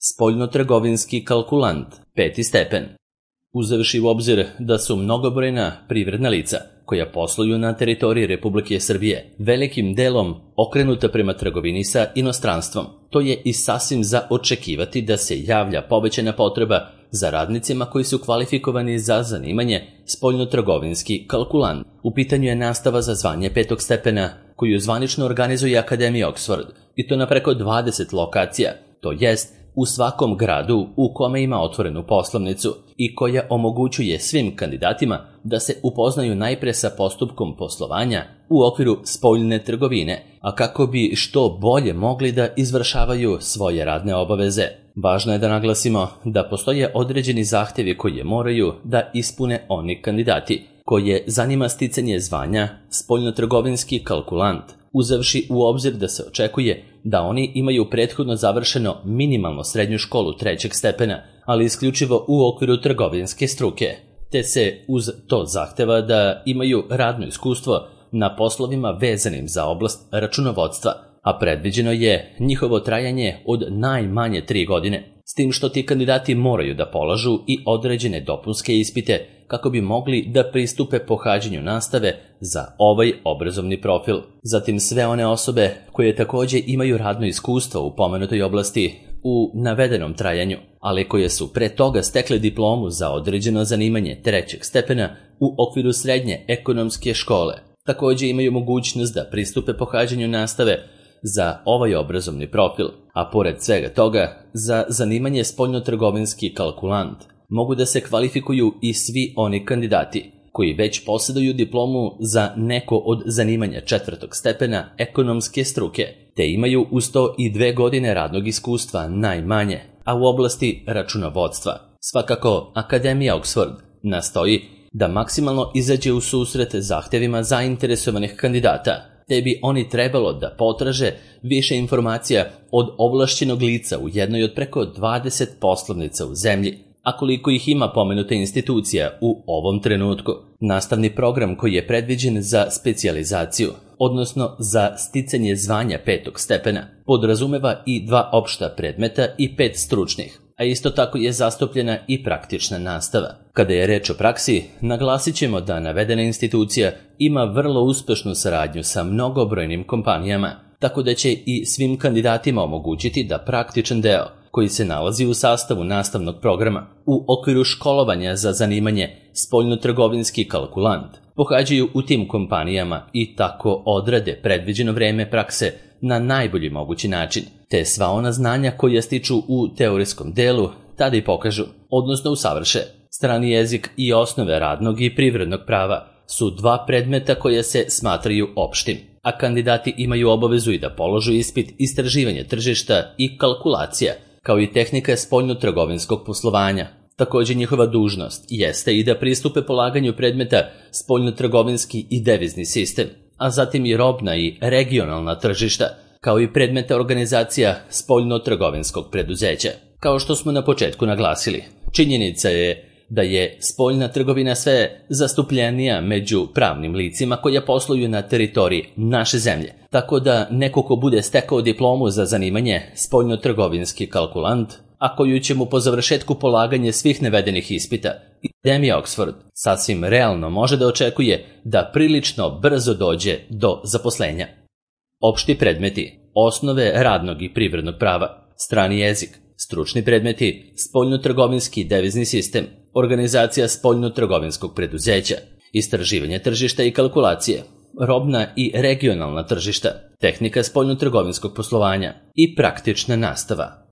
Spoljnotrgovinski kalkulant, 5. stepen. Uzevši u obzir da su mnogobrojna privredna lica koja posluju na teritoriji Republike Srbije velikim delom okrenuta prema trgovini sa inostranstvom, to je i sasvim za očekivati da se javlja povećana potreba za radnicima koji su kvalifikovani za zanimanje spoljnotrgovinski kalkulant. U pitanju je nastava za zvanje 5. stepena koju zvanično organizuje Akademija Oxford, i to na preko 20 lokacija, to jest u svakom gradu u kome ima otvorenu poslovnicu i koja omogućuje svim kandidatima da se upoznaju najpre sa postupkom poslovanja u okviru spoljne trgovine, a kako bi što bolje mogli da izvršavaju svoje radne obaveze. Važno je da naglasimo da postoje određeni zahtevi koje moraju da ispune oni kandidati koje zanima sticanje zvanja spoljnotrgovinski kalkulant, uzevši u obzir da se očekuje da oni imaju prethodno završeno minimalno srednju školu 3. stepena, ali isključivo u okviru trgovinske struke, te se uz to zahteva da imaju radno iskustvo na poslovima vezanim za oblast računovodstva, a predviđeno je njihovo trajanje od najmanje 3 godine, s tim što ti kandidati moraju da polažu i određene dopunske ispite kako bi mogli da pristupe pohađanju nastave za ovaj obrazovni profil. Zatim sve one osobe koje takođe imaju radno iskustvo u pomenutoj oblasti u navedenom trajanju, ali koje su pre toga stekle diplomu za određeno zanimanje 3. stepena u okviru srednje ekonomske škole, takođe imaju mogućnost da pristupe pohađanju nastave za ovaj obrazovni profil, a pored svega toga, za zanimanje spoljnotrgovinski kalkulant mogu da se kvalifikuju i svi oni kandidati koji već posjeduju diplomu za neko od zanimanja 4. stepena ekonomske struke, te imaju uz to i 2 godine radnog iskustva najmanje, a u oblasti računovodstva. Svakako, Akademija Oxford nastoji da maksimalno izađe u susret zahtevima zainteresovanih kandidata, te bi oni trebalo da potraže više informacija od ovlašćenog lica u jednoj od preko 20 poslovnica u zemlji, a koliko ih ima pomenuta institucija u ovom trenutku. Nastavni program koji je predviđen za specijalizaciju, odnosno za sticanje zvanja 5. stepena, podrazumeva i 2 opšta predmeta i 5 stručnih, a isto tako je zastupljena i praktična nastava. Kada je reč o praksi, naglasit ćemo da navedena institucija ima vrlo uspešnu saradnju sa mnogobrojnim kompanijama, tako da će i svim kandidatima omogućiti da praktičan deo, koji se nalazi u sastavu nastavnog programa u okviru školovanja za zanimanje spoljnotrgovinski kalkulant, pohađaju u tim kompanijama i tako odrade predviđeno vreme prakse na najbolji mogući način, te sva ona znanja koja stiču u teorijskom delu tada i pokažu, odnosno usavrše. Strani jezik i osnove radnog i privrednog prava su 2 predmeta koja se smatraju opštim, a kandidati imaju obavezu i da položu ispit istraživanja tržišta i kalkulacija, kao i tehnika spoljnotrgovinskog poslovanja. Takođe njihova dužnost jeste i da pristupe polaganju predmeta spoljnotrgovinski i devizni sistem, a zatim i robna i regionalna tržišta, kao i predmeta organizacija spoljnotrgovinskog preduzeća. Kao što smo na početku naglasili, činjenica je da je spoljna trgovina sve zastupljenija među pravnim licima koja posluju na teritoriji naše zemlje, tako da neko ko bude stekao diplomu za zanimanje spoljnotrgovinski kalkulant, a koju će mu po završetku polaganje svih navedenih ispita, Akademija Oxford sasvim realno može da očekuje da prilično brzo dođe do zaposlenja. Opšti predmeti, osnove radnog i privrednog prava, strani jezik, stručni predmeti, spoljnotrgovinski devizni sistem, organizacija spoljnotrgovinskog preduzeća, istraživanje tržišta i kalkulacije, robna i regionalna tržišta, tehnika spoljnotrgovinskog poslovanja i praktična nastava.